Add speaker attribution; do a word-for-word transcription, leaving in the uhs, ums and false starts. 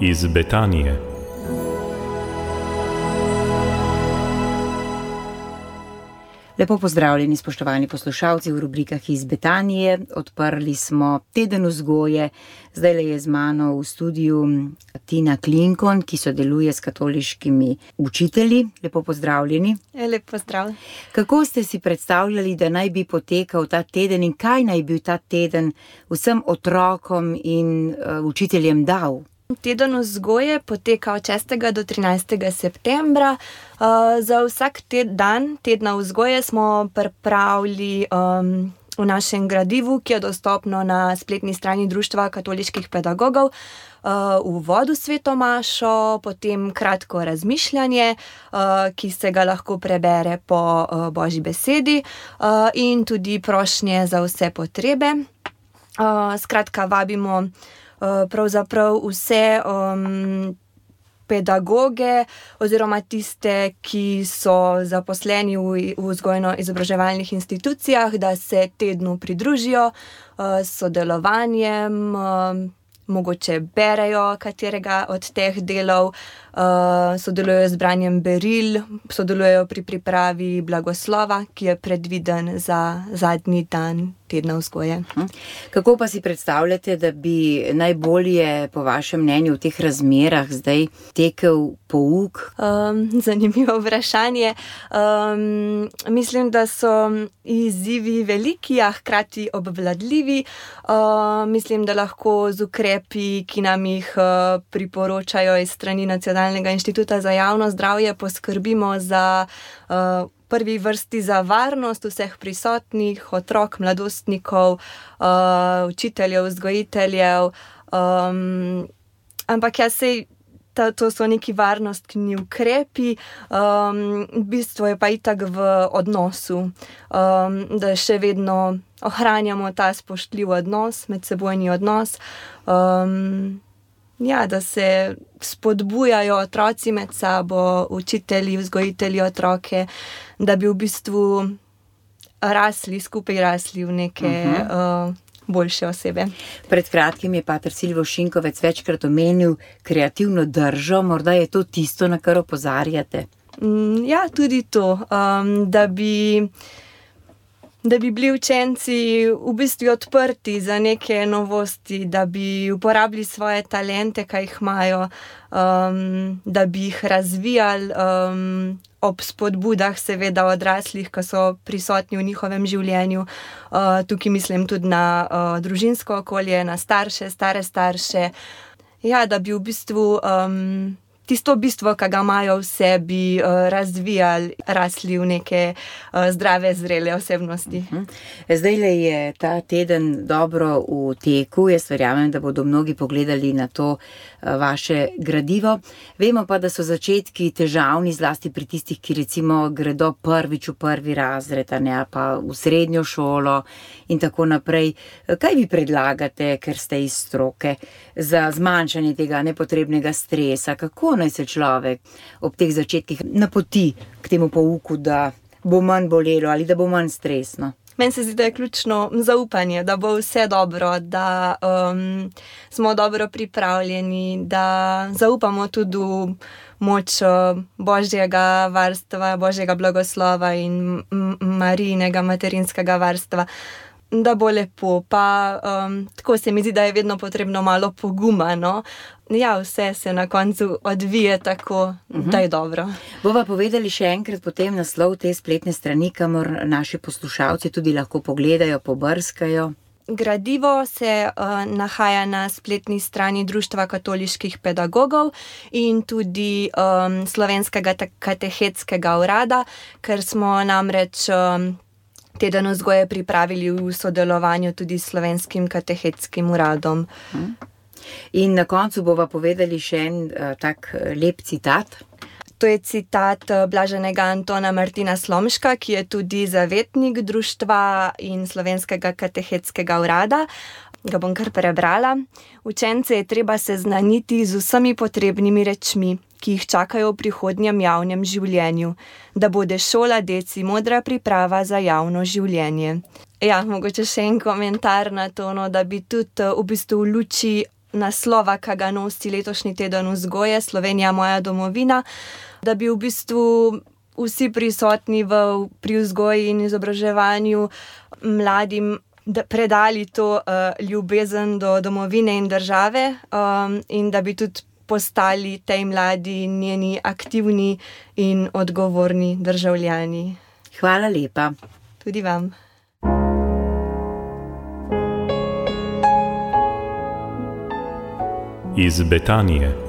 Speaker 1: iz Betanije.
Speaker 2: Lepo pozdravljeni, spoštovani poslušalci v rubrikah iz Betanije. Odprli smo teden vzgoje. Zdajle je z mano v studiu Tina Klinkon, ki sodeluje s katoliškimi učitelji. Lepo pozdravljeni.
Speaker 3: Lep pozdrav.
Speaker 2: Kako ste si predstavljali, da naj bi potekal ta teden in kaj naj bi ta teden vsem otrokom in uh, učiteljem dal?
Speaker 3: Teden vzgoje poteka od šestega do trinajstega septembra. Uh, za vsak te dan tedna vzgoje smo pripravili um, v našem gradivu, ki je dostopno na spletni strani Društva katoliških pedagogov, uh, uvod v sveto mašo, potem kratko razmišljanje, uh, ki se ga lahko prebere po uh, Božji besedi, uh, in tudi prošnje za vse potrebe. Uh, skratka, vabimo Uh, pravzaprav vse um, pedagoge oziroma tiste, ki so zaposleni v, v vzgojno-izobraževalnih institucijah, da se tednu pridružijo uh, s sodelovanjem, uh, mogoče berejo katerega od teh delov, uh, sodelujejo z branjem beril, sodelujejo pri pripravi blagoslova, ki je predviden za zadnji dan tedna vzgoje.
Speaker 2: Kako pa si predstavljate, da bi najbolje po vašem mnenju v teh razmerah zdaj tekel pouk?
Speaker 3: Um, zanimivo vprašanje. Um, mislim, da so izzivi veliki, a hkrati obvladljivi. Uh, mislim, da lahko z ukrepi, ki nam jih uh, priporočajo iz strani Nacionalnega inštituta za javno zdravje, poskrbimo za uh, prvi vrsti za varnost vseh prisotnih, otrok, mladostnikov, uh, učiteljev, vzgojiteljev. Um, ampak jaz sej, ta, to so neki varnostni ukrepi, um, bistvo je pa itak v odnosu, um, da še vedno ohranjamo ta spoštljiv odnos, medsebojni odnos. Um, Ja, da se spodbujajo otroci med sabo, učitelji, vzgojitelji otroke, da bi v bistvu rasli, skupaj rasli v neke uh-huh. uh, boljše osebe.
Speaker 2: Pred kratkim je pater Silvo Šinkovec večkrat omenil kreativno držo, morda je to tisto, na kar opozarjate?
Speaker 3: Mm, ja, tudi to, um, da bi... da bi bili učenci v bistvu odprti za neke novosti, da bi uporabili svoje talente, kaj jih imajo, um, da bi jih razvijali um, ob spodbudah seveda odraslih, ki so prisotni v njihovem življenju. Uh, tukaj mislim tudi na uh, družinsko okolje, na starše, stare starše. Ja, da bi v bistvu um, tisto bistvo, ki ga imajo v sebi, razvijali, rasli v neke zdrave, zrele osebnosti.
Speaker 2: Zdajle je ta teden dobro v teku. Jaz verjamem, da bodo mnogi pogledali na to vaše gradivo. Vemo pa, da so začetki težavni, zlasti pri tistih, ki recimo gredo prvič v prvi razred, ne, pa v srednjo šolo in tako naprej. Kaj vi predlagate, ker ste iz stroke, za zmanjšanje tega nepotrebnega stresa? Kako naj se človek ob teh začetkih napoti k temu pouku, da bo manj bolelo ali da bo manj stresno?
Speaker 3: Meni se zdi, da je ključno zaupanje, da bo vse dobro, da um, smo dobro pripravljeni, da zaupamo tudi v moč Božjega varstva, Božjega blagoslova in Marijinega materinskega varstva, da bo lepo. Pa um, tako se mi zdi, da je vedno potrebno malo poguma, no. Ja, vse se na koncu odvije tako, uh-huh. da je dobro.
Speaker 2: Bova povedali še enkrat potem naslov te spletne strani, kamor naši poslušalci tudi lahko pogledajo, pobrskajo.
Speaker 3: Gradivo se uh, nahaja na spletni strani Društva katoliških pedagogov in tudi um, Slovenskega katehetskega urada, ker smo namreč um, teden vzgoje pripravili v sodelovanju tudi s Slovenskim katehetskim uradom.
Speaker 2: Uh-huh. In na koncu bova povedali še en uh, tak lep citat.
Speaker 3: To je citat blaženega Antona Martina Slomška, ki je tudi zavetnik društva in Slovenskega katehetskega urada. Ga bom kar prebrala. Učence je treba seznaniti z vsemi potrebnimi rečmi, ki jih čakajo v prihodnjem javnem življenju, da bude šola deci modra priprava za javno življenje. Ja, mogoče še en komentar na to, no, da bi tudi v bistvu v luči naslova, ki ga nosi letošnji teden vzgoje, Slovenija moja domovina, da bi v bistvu vsi prisotni v, pri vzgoji in izobraževanju mladim predali to uh, ljubezen do domovine in države um, in da bi tudi postali tej mladi njeni aktivni in odgovorni državljani.
Speaker 2: Hvala lepa.
Speaker 3: Tudi vam.
Speaker 1: Iz Betanije.